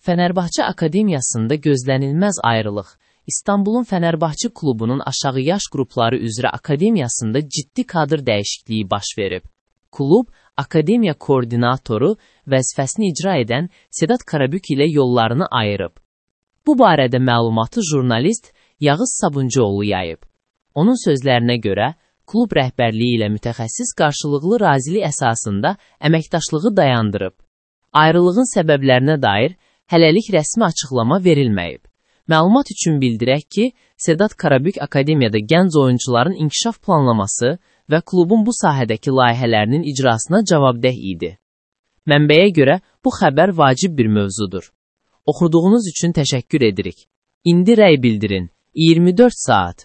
Fənərbahçe Akademiyasında gözlənilməz ayrılıq. İstanbulun Fənərbahçe klubunun aşağı yaş qrupları üzrə akademiyasında ciddi kadr dəyişikliyi baş verib. Klub, akademiya koordinatoru vəzifəsini icra edən Sedat Karabük ilə yollarını ayırıb. Bu barədə məlumatı jurnalist Yağız Sabuncuoğlu yayıb. Onun sözlərinə görə, klub rəhbərliyi ilə mütəxəssis qarşılıqlı razili əsasında əməkdaşlığı dayandırıb. Ayrılığın səbəblərinə dair hələlik rəsmi açıqlama verilməyib. Məlumat üçün bildirək ki, Sedat Karabük Akademiyada gənc oyuncuların inkişaf planlaması və klubun bu sahədəki layihələrinin icrasına cavabdeh idi. Mənbəyə görə bu xəbər vacib bir mövzudur. Oxuduğunuz üçün təşəkkür edirik. İndi rəy bildirin. 24 saat.